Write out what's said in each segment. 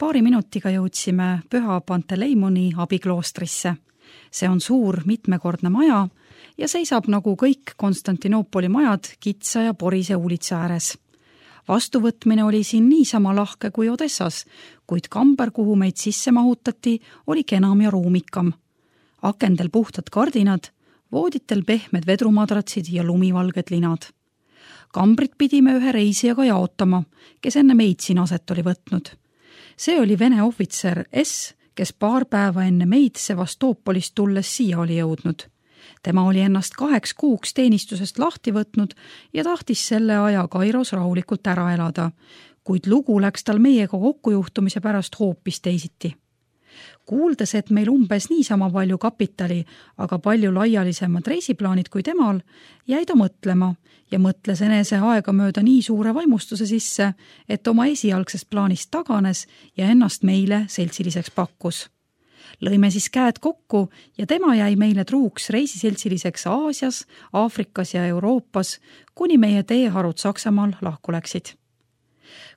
Paari minutiga jõudsime Püha Panteleimoni abikloostrisse. See on suur mitmekordne maja ja seisab nagu kõik Konstantinoopoli majad kitsa ja porise uulitsa ääres. Vastuvõtmine oli siin niisama lahke kui Odessas, kuid kamber, kuhu meid sisse mahutati, oli kenam ja ruumikam. Akendel puhtad kardinad, vooditel pehmed vedrumadratsid ja lumivalged linad. Kambrit pidime ühe reisijaga jaotama, kes enne meid siin aset oli võtnud. See oli Vene ohvitser S, kes paar päeva enne meid Sevastoopolist tulles siia oli jõudnud. Tema oli ennast 2 kuuks teenistusest lahti võtnud ja tahtis selle aja Kairos rahulikult ära elada, kuid lugu läks tal meiega kokkujuhtumise pärast hoopis teisiti. Kuuldes, et meil umbes niisama palju kapitali, aga palju laialisemad reisiplaanid kui temal, jäi ta mõtlema ja mõtles enese aega mööda nii suure vaimustuse sisse, et oma esialgsest plaanist taganes ja ennast meile seltsiliseks pakkus. Lõime siis käed kokku ja tema jäi meile truuks reisiseltsiliseks Aasias, Aafrikas ja Euroopas, kuni meie teeharud Saksamaal lahku läksid.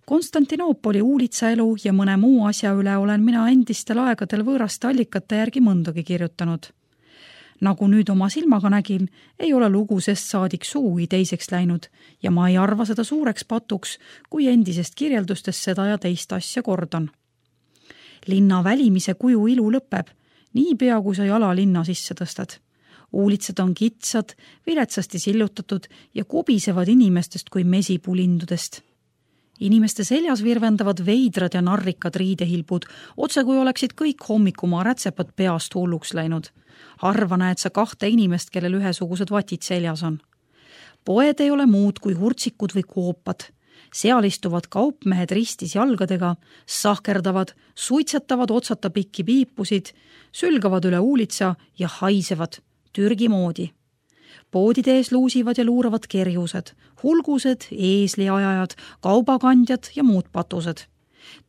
Konstantinoopoli uulitsaelu ja mõne muu asja üle olen mina endistel aegadel võõraste allikate järgi mõndagi kirjutanud. Nagu nüüd oma silmaga nägin, ei ole lugu sest saadik suugi teiseks läinud ja ma ei arva seda suureks patuks, kui endisest kirjeldustest seda ja teist asja kordan. Linna välimise kuju ilu lõpeb, nii pea kui sa jala linna sisse tõstad. Uulitsad on kitsad, viletsasti sillutatud ja kubisevad inimestest kui mesipulindudest. Inimeste seljas virvendavad veidrad ja narrikad riidehilbud, otse kui oleksid kõik hommikumaa rätsepad peast hulluks läinud. Harva näed sa 2 inimest, kellel ühesugused vatid seljas on. Poed ei ole muud kui hurtsikud või koopad. Seal istuvad kaupmehed ristis jalgadega, sahkerdavad, suitsetavad otsata pikki piipusid, sülgavad üle uulitsa ja haisevad, Türgi moodi. Poodide ees luusivad ja luuravad kerjused, hulgused, eesliajajad, kaubakandjad ja muud patused.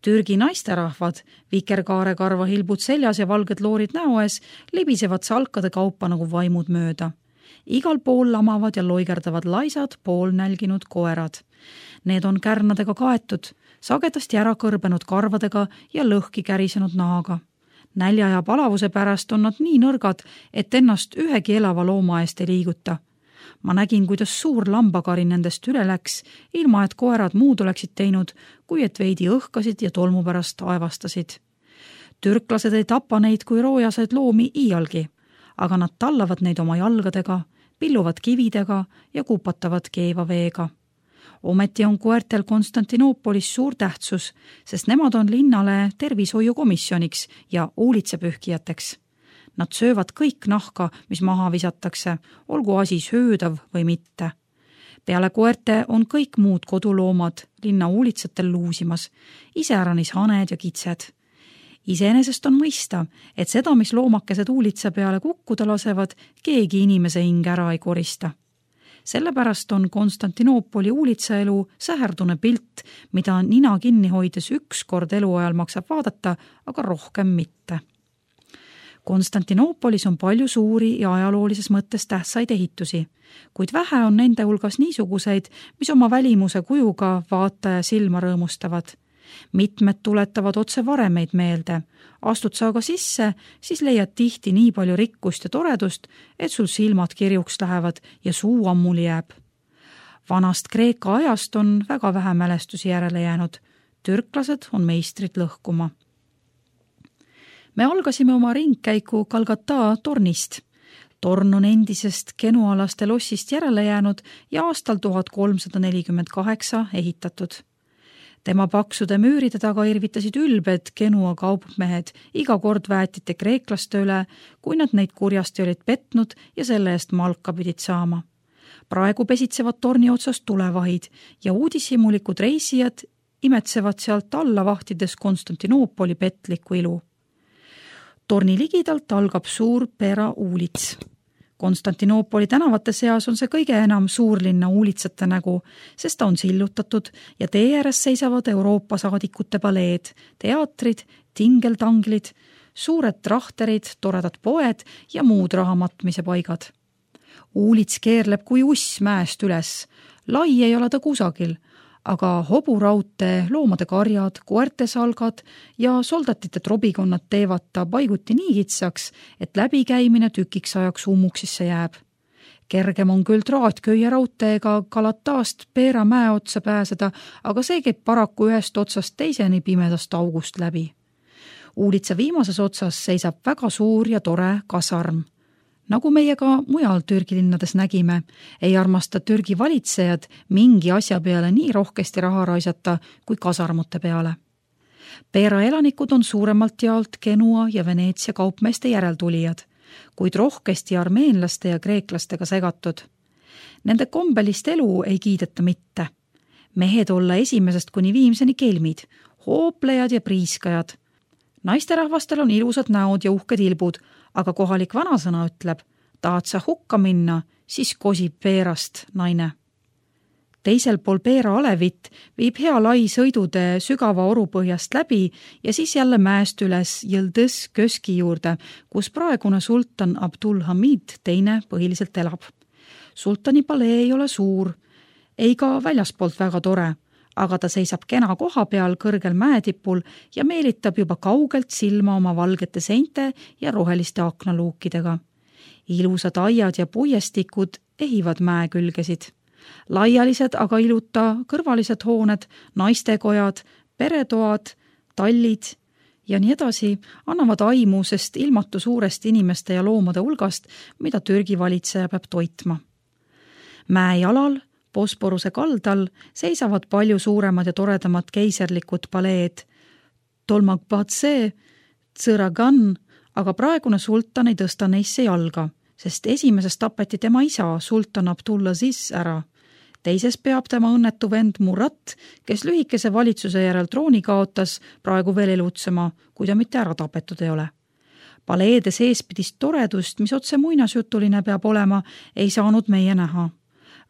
Türgi naisterahvad, vikerkaare hilbud seljas ja valged loorid näo ees, libisevad salkade kaupa nagu vaimud mööda. Igal pool lamavad ja loigerdavad laisad, poolnälginud koerad. Need on kärnadega kaetud, sagedasti ära kõrbenud karvadega ja lõhki kärisenud nahaga. Nälja ja palavuse pärast on nad nii nõrgad, et ennast ühegi elava looma eest ei liiguta. Ma nägin, kuidas suur lambakari nendest üle läks, ilma et koerad muud oleksid teinud, kui et veidi õhkasid ja tolmu pärast aevastasid. Türklased ei tapa neid kui roojased loomi iialgi, aga nad tallavad neid oma jalgadega, pilluvad kividega ja kupatavad keeva veega. Ometi on koertel Konstantinoopolis suur tähtsus, sest nemad on linnale tervishoiukomisjoniks ja uulitsepühkijateks. Nad söövad kõik nahka, mis maha visatakse, olgu asi söödav või mitte. Peale koerte on kõik muud koduloomad linna uulitsatel luusimas, iseäranis haned ja kitsed. Iseenesest on mõista, et seda, mis loomakesed uulitsa peale kukkuda lasevad, keegi inimese hing ära ei korista. Sellepärast on Konstantinoopoli uulitsaelu säherdune pilt, mida nina kinni hoides 1 kord eluajal maksab vaadata, aga rohkem mitte. Konstantinoopolis on palju suuri ja ajaloolises mõttes tähtsaid ehitusi, kuid vähe on nende hulgas niisuguseid, mis oma välimuse kujuga vaataja silma rõõmustavad. Mitmed tuletavad otse varemeid meelde. Astud sa aga sisse, siis leiad tihti nii palju rikkust ja toredust, et sul silmad kirjuks lähevad ja suu ammuli jääb. Vanast Kreeka ajast on väga vähe mälestusi järele jäänud. Türklased on meistrid lõhkuma. Me algasime oma ringkäiku Kalgata tornist. Torn on endisest genualaste lossist järele jäänud ja aastal 1348 ehitatud. Tema paksude müüride taga irvitasid ülbed Genua kaupmehed iga kord väetite kreeklaste üle, kui nad neid kurjasti olid petnud ja selle eest malka pidid saama. Praegu pesitsevad torni otsast tulevahid ja uudishimulikud reisijad imetsevad sealt alla vahtides Konstantinoopoli petliku ilu. Torni ligidalt algab suur Pera uulits. Konstantinoopoli tänavate seas on see kõige enam suurlinna uulitsate nägu, sest ta on sillutatud ja tee ääres seisavad Euroopa saadikute paleed, teatrid, tingeltanglid, suured trahterid, toredad poed ja muud rahamatmise paigad. Uulits keerleb kui uss mäest üles. Lai ei ole ta kusagil, aga hoburaudtee, loomade karjad, koerte salgad ja soldatite trobikonnad teevad ta paiguti nii kitsaks, et läbikäimine tükiks ajaks ummuksisse jääb. Kergem on küll traatköie raudteega Galataast Peera mäe otsa pääseda, aga see käib paraku ühest otsast teiseni pimedast august läbi. Uulitsa viimases otsas seisab väga suur ja tore kasarm. Nagu meie ka mujal Türgi linnades nägime, ei armasta Türgi valitsejad mingi asja peale nii rohkesti raha raisata kui kasarmute peale. Peera elanikud on suuremalt jaolt Genua ja Veneetsia kaupmeeste järeltulijad, kuid rohkesti armeenlaste ja kreeklastega segatud. Nende kombelist elu ei kiideta mitte. Mehed olla esimesest kuni viimseni kelmid, hooplejad ja priiskajad. Naisterahvastel on ilusad näod ja uhked ilbud, aga kohalik vanasõna ütleb, tahad sa hukka minna, siis kosib Peerast naine. Teisel pool Peera alevit viib hea lai sõidutee sügava orupõhjast läbi ja siis jälle mäest üles Yıldız Köski juurde, kus praegune sultan Abdulhamid teine põhiliselt elab. Sultani palee ei ole suur, ei ka väljaspoolt väga tore, aga ta seisab kena koha peal kõrgel mäetipul ja meelitab juba kaugelt silma oma valgete seinte ja roheliste aknaluukidega. Ilusad aiad ja puiestikud ehivad mäe külgesid. Laialised, aga iluta kõrvalised hooned, naistekojad, peretoad, tallid ja nii edasi annavad aimu, sest ilmatu suurest inimeste ja loomade hulgast, mida Türgi valitseja peab toitma. Mäe jalal Bosporuse kaldal seisavad palju suuremad ja toredamad keiserlikud paleed. Tolmagbatse, Tsõragan, aga praegune sultan ei tõsta neisse jalga, sest esimeses tapeti tema isa, sultan Abdulaziz ära. Teises peab tema õnnetu vend Murat, kes lühikese valitsuse järel trooni kaotas, praegu veel elutsema, kui ta mitte ära tapetud ei ole. Paleede seespidist toredust, mis otse muinasjutuline peab olema, ei saanud meie näha.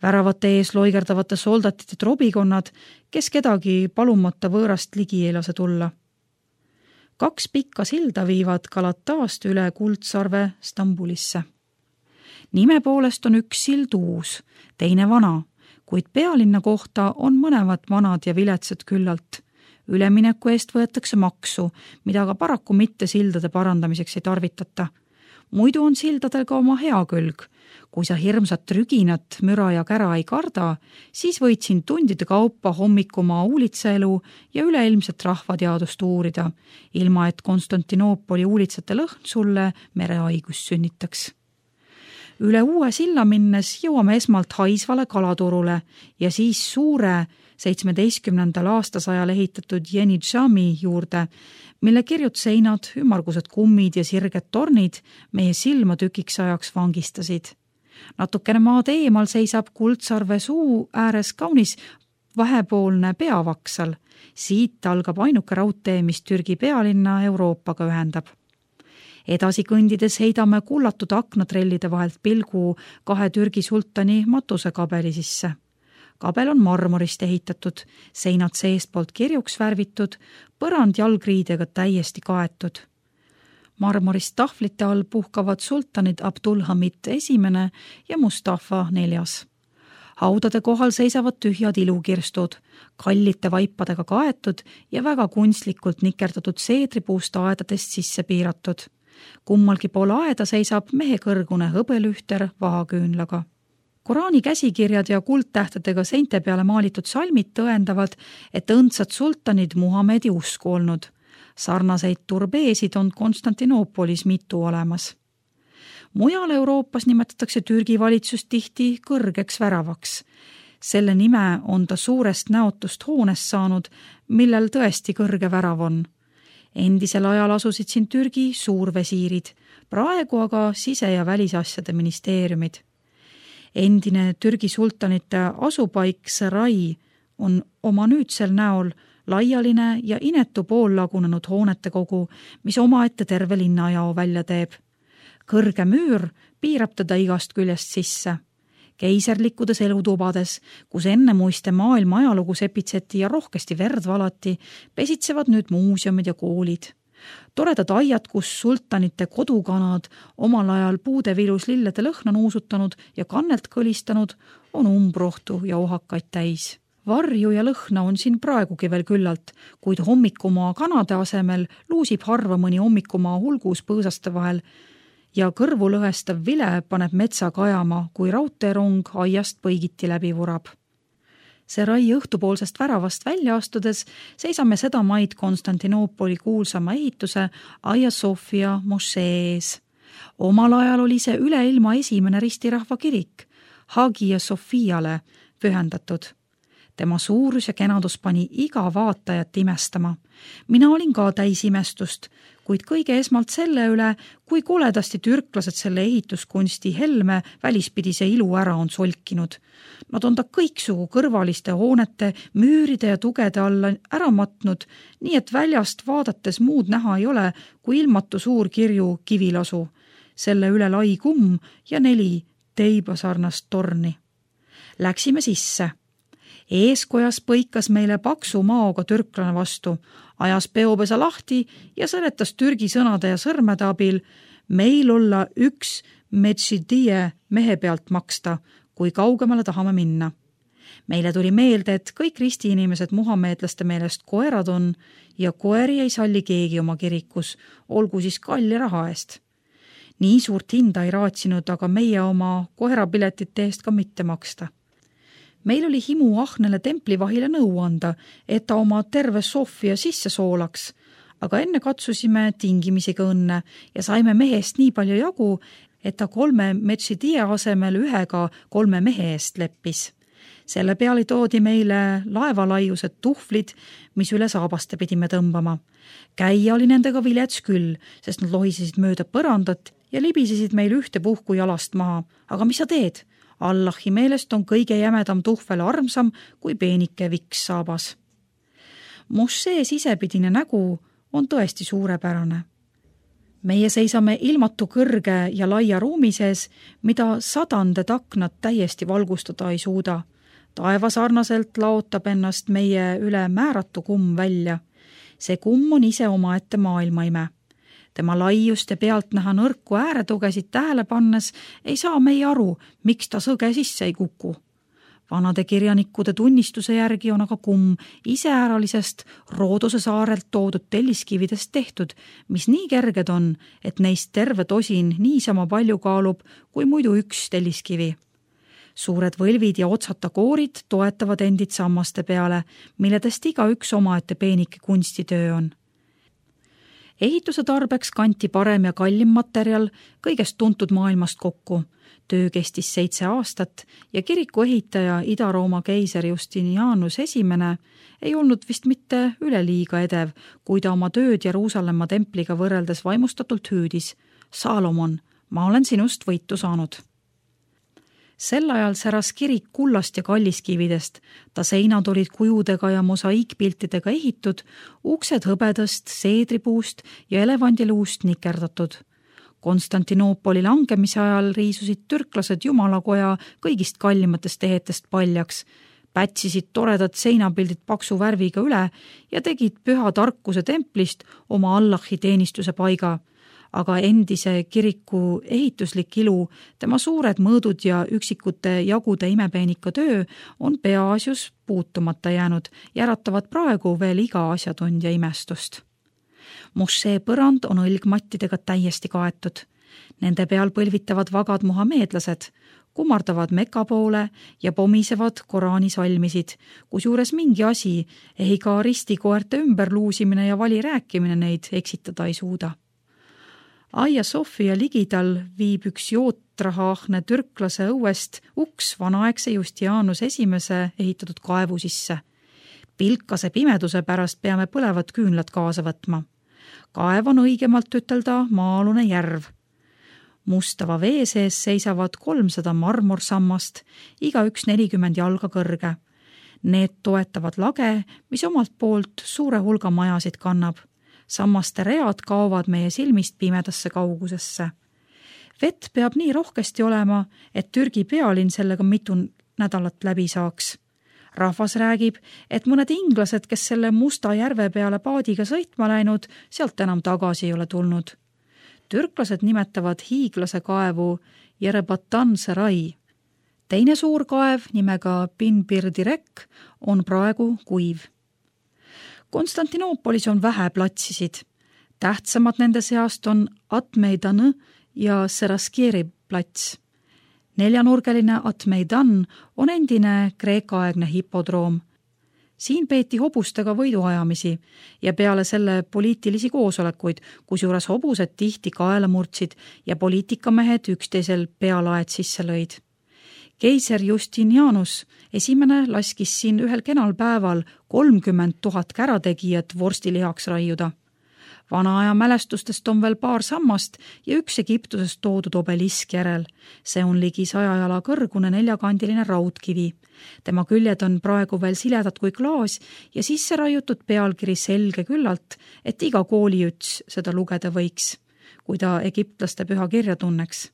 Väravate ees loigerdavate soldatite trobikonnad, kes kedagi palumata võõrast ligi ei lase tulla. 2 pikka silda viivad Galataast üle Kuldsarve Stambulisse. Nime poolest on üks sild uus, teine vana, kuid pealinna kohta on mõlemad vanad ja viletsad küllalt. Ülemineku eest võetakse maksu, mida aga paraku mitte sildade parandamiseks ei tarvitata. Muidu on sildadel ka oma hea külg. Kui sa hirmsat rüginat, müra ja kära ei karda, siis võid siin tundide kaupa hommikumaa uulitsaelu ja üleilmset rahvateadust uurida, ilma et Konstantinoopoli uulitsate lõhn sulle merehaigust sünnitaks. Üle uue silla minnes jõuame esmalt haisvale kalaturule ja siis suure 17. aastasajal ehitatud Yenidžami juurde, mille kirjud seinad, ümmargused kummid ja sirged tornid meie silma tükiks ajaks vangistasid. Natukene maad eemal seisab Kuldsarve suu ääres kaunis vahepoolne peavaksal. Siit algab ainuke raudtee, mis Türgi pealinna Euroopaga ühendab. Edasi kõndides heidame kullatud aknatrellide vahelt pilgu 2 Türgi sultani matusekabeli sisse. Kabel on marmorist ehitatud, seinad seestpoolt kirjuks värvitud, põrand jalgriidega täiesti kaetud. Marmorist tahvlite all puhkavad sultanid Abdulhamid esimene ja Mustafa 4. Haudade kohal seisavad tühjad ilukirstud, kallite vaipadega kaetud ja väga kunstlikult nikerdatud seedripuust aedadest sisse piiratud. Kummalgi pool aeda seisab mehe kõrgune hõbelühter vahaküünlaga. Koraani käsikirjad ja kuldtähtedega seinte peale maalitud salmid tõendavad, et õndsad sultanid Muhamedi usku olnud. Sarnaseid turbeesid on Konstantinoopolis mitu olemas. Mujal Euroopas nimetatakse Türgi valitsust tihti kõrgeks väravaks. Selle nime on ta suurest näotust hoonest saanud, millel tõesti kõrge värav on. Endisel ajal asusid siin Türgi suurvesiirid, praegu aga sise- ja välisasjade ministeeriumid. Endine Türgi sultanite asupaik Sarai on oma nüüdsel näol laialine ja inetu poollagunenud hoonete kogu, mis omaette terve linnajao välja teeb. Kõrge müür piirab teda igast küljest sisse. Keiserlikkudes elutubades, kus enne muiste maailma ajalugu sepitseti ja rohkesti verd valati, pesitsevad nüüd muuseumid ja koolid. Toredad aiad, kus sultanite kodukanad omal ajal puude vilus lillede lõhna nuusutanud ja kannelt kõlistanud, on umbrohtu ja ohakaid täis. Varju ja lõhna on siin praegugi veel küllalt, kuid hommikumaa kanade asemel luusib harva mõni hommikumaa hulgus põõsaste vahel ja kõrvu lõhestav vile paneb metsa kajama, kui raudteerong aiast põigiti läbi vurab. See rai õhtupoolsest väravast välja astudes seisame seda maid Konstantinoopoli kuulsama ehituse Hagia Sophia mošee ees. Omal ajal oli see üleilma esimene ristirahva kirik, Hagia Sophiale pühendatud. Tema suurus ja kenadus pani iga vaatajat imestama. Mina olin ka täis imestust, kuid kõige esmalt selle üle, kui koledasti türklased selle ehituskunsti helme välispidise ilu ära on solkinud. Nad on ta kõiksugu kõrvaliste hoonete, müüride ja tugede alla ära matnud, nii et väljast vaadates muud näha ei ole, kui ilmatu suur kirju kivilasu. Selle üle lai kumm ja 4 teibasarnast torni. Läksime sisse. Eeskojas põikas meile paksu maoga türklane vastu, ajas peopesa lahti ja seletas türgi sõnade ja sõrmede abil meil olla 1 metšidie mehe pealt maksta, kui kaugemale tahame minna. Meile tuli meelde, et kõik ristiinimesed muhameedlaste meelest koerad on ja koeri ei salli keegi oma kirikus, olgu siis kalli raha eest. Nii suurt hinda ei raatsinud, aga meie oma koerapiletite eest ka mitte maksta. Meil oli himu ahnele templivahile nõu anda, et ta oma terve Sofia sisse soolaks, aga enne katsusime tingimisiga õnne ja saime mehest nii palju jagu, et ta 3 metšidie asemel 1 3 mehe eest leppis. Selle peale toodi meile laevalaiused tuhvlid, mis üle saabaste pidime tõmbama. Käia oli nendega vilets küll, sest nad lohisesid mööda põrandat ja libisesid meil ühtepuhku jalast maha. Aga mis sa teed? Allahi meelest on kõige jämedam tuhvel armsam kui peenike viks saabas. Mošee sisepidine nägu on tõesti suurepärane. Meie seisame ilmatu kõrge ja laia ruumi sees, mida 100 aknad täiesti valgustada ei suuda. Taevasarnaselt laotab ennast meie üle määratu kumm välja. See kumm on ise omaette maailmaime. Tema laiust ja pealt näha nõrku ääretugesid tähele pannes ei saa meie aru, miks ta sõge sisse ei kuku. Vanade kirjanikkude tunnistuse järgi on aga kumm iseäralisest Roodose saarelt toodud telliskividest tehtud, mis nii kerged on, et neist terve tosin niisama palju kaalub kui muidu 1 telliskivi. Suured võlvid ja otsata koorid toetavad endid sammaste peale, milledest igaüks omaette peenike kunstitöö on. Ehituse tarbeks kanti parem ja kallim materjal kõigest tuntud maailmast kokku. Töö kestis 7 aastat ja kiriku ehitaja Ida-Rooma keiser Justinianus I ei olnud vist mitte üleliiga edev, kui ta oma tööd Jeruusalemma templiga võrreldes vaimustatult hüüdis. Salomon, ma olen sinust võitu saanud. Sel ajal säras kirik kullast ja kalliskividest, ta seinad olid kujudega ja mosaiikpiltidega ehitud, uksed hõbedast, seedripuust ja elevandiluust nikerdatud. Konstantinoopoli langemise ajal riisusid türklased jumalakoja kõigist kallimatest ehetest paljaks, pätsisid toredad seinapildid paksu värviga üle ja tegid püha tarkuse templist oma Allahi teenistuse paiga. Aga endise kiriku ehituslik ilu, tema suured mõõdud ja üksikute jagude imepeenika töö on peaasjus puutumata jäänud ja äratavad praegu veel iga asjatundja imestust. Mošee põrand on õlgmattidega täiesti kaetud. Nende peal põlvitavad vagad muhameedlased, kummardavad Meka poole ja pomisevad Koraani salmisid, kusjuures mingi asi, ei ka ristikoerte ümberluusimine ja vali rääkimine neid eksitada ei suuda. Hagia Sophia ligidal viib üks jootrahaahne türklase õuest uks vanaaegse Justinianus I ehitatud kaevu sisse. Pilkase pimeduse pärast peame põlevad küünlad kaasa võtma. Kaev on õigemalt ütelda maa-alune järv. Mustava vee sees seisavad 300 marmorsammast, igaüks 40 jalga kõrge. Need toetavad lage, mis omalt poolt suure hulga majasid kannab. Sammaste read kaovad meie silmist pimedasse kaugusesse. Vett peab nii rohkesti olema, et Türgi pealinn sellega mitu nädalat läbi saaks. Rahvas räägib, et mõned inglased, kes selle Musta järve peale paadiga sõitma läinud, sealt enam tagasi ei ole tulnud. Türklased nimetavad hiiglase kaevu Yerebatan Sarai. Teine suur kaev nimega Pinbirdirek on praegu kuiv. Konstantinoopolis on vähe platsisid. Tähtsamad nende seast on Atmeidan ja Seraskieri plats. 4-nurgeline Atmeidan on endine kreeka-aegne hipodroom. Siin peeti hobustega võiduajamisi ja peale selle poliitilisi koosolekuid, kusjuures hobused tihti kaela murdsid ja poliitikamehed üksteisel pealaed sisse lõid. Keiser Justinianus esimene laskis siin ühel kenal päeval 30 000 kärategijat vorstilihaks raiuda. Vana aja mälestustest on veel paar sammast ja üks Egiptusest toodud obelisk järel. See on ligi 100 jala kõrgune 4-kandiline raudkivi. Tema küljed on praegu veel siledad kui klaas ja sisse raiutud pealkiri selge küllalt, et iga kooliüts seda lugeda võiks, kui ta egiptlaste püha kirja tunneks.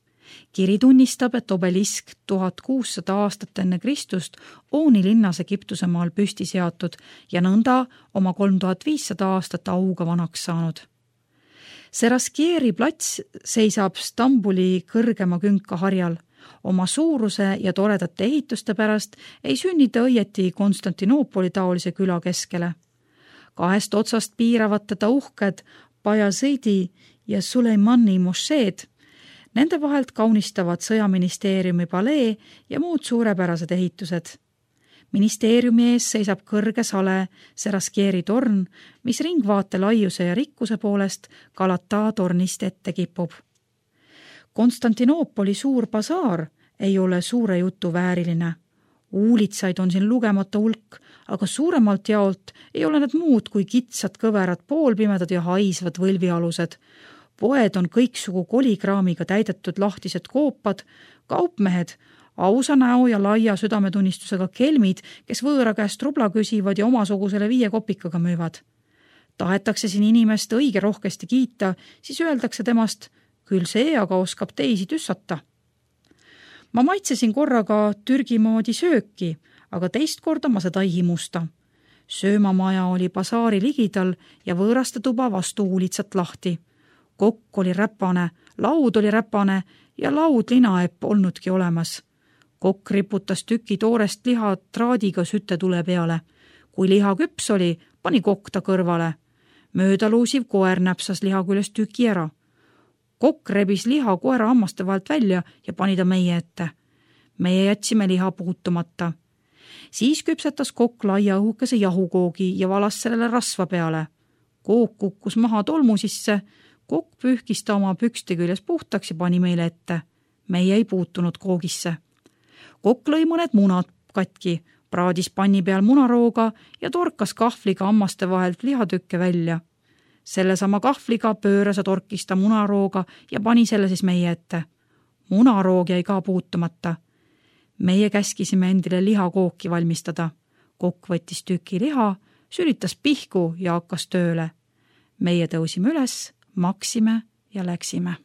Kiri tunnistab, et obelisk 1600 aastat enne Kristust Ooni linnas Egiptuse maal püsti seatud ja nõnda oma 3500 aastat auga vanaks saanud. Seraskieri plats seisab Stambuli kõrgema künka harjal. Oma suuruse ja toredate ehituste pärast ei sünnita õieti Konstantinoopoli taolise küla keskele. 2 otsast piiravad teda uhked Bayazidi ja Suleimani mošeed. Nende vahelt kaunistavad sõjaministeeriumi palee ja muud suurepärased ehitused. Ministeeriumi ees seisab kõrge sale Seraskieri torn, mis ringvaate laiuse ja rikkuse poolest Galata tornist ette kipub. Konstantinoopoli suur basaar ei ole suure jutu vääriline. Uulitsaid on siin lugemata hulk, aga suuremalt jaolt ei ole need muud kui kitsad kõverad, poolpimedad ja haisvad võlvialused. Poed on kõiksugu kolikraamiga täidetud lahtised koopad, kaupmehed, ausa näo ja laia südametunnistusega kelmid, kes võõra käest rubla küsivad ja omasugusele 5 kopikaga müüvad. Tahetakse siin inimest õige rohkesti kiita, siis öeldakse temast, küll see aga oskab teisi tüssata. Ma maitsesin korraga Türgi moodi sööki, aga teist korda ma seda ei himusta. Söömamaja oli basaari ligidal ja võõraste tuba vastu uulitsat lahti. Kokk oli räpane, laud oli räpane ja laudlinaepp olnudki olemas. Kokk riputas tüki toorest liha traadiga sütetule peale. Kui liha küps oli, pani kokk ta kõrvale. Möödaluusiv koer näpsas liha küljest tüki ära. Kokk rebis liha koera hammaste vahelt välja ja pani ta meie ette. Meie jätsime liha puutumata. Siis küpsetas kokk laia õhukese jahukoogi ja valas sellele rasva peale. Kook kukkus maha tolmu sisse. Kokk pühkis ta oma pükste küljes puhtaks ja pani meile ette. Meie ei puutunud koogisse. Kokk lõi mõned munad katki, praadis panni peal munarooga ja torkas kahvliga hammaste vahelt lihatükke välja. Sellesama kahvliga pööras ja torkis ta munarooga ja pani selle siis meie ette. Munaroog jäi ka puutumata. Meie käskisime endile lihakooki valmistada. Kokk võttis tüki liha, sülitas pihku ja hakkas tööle. Meie tõusime üles, maksime ja läksime.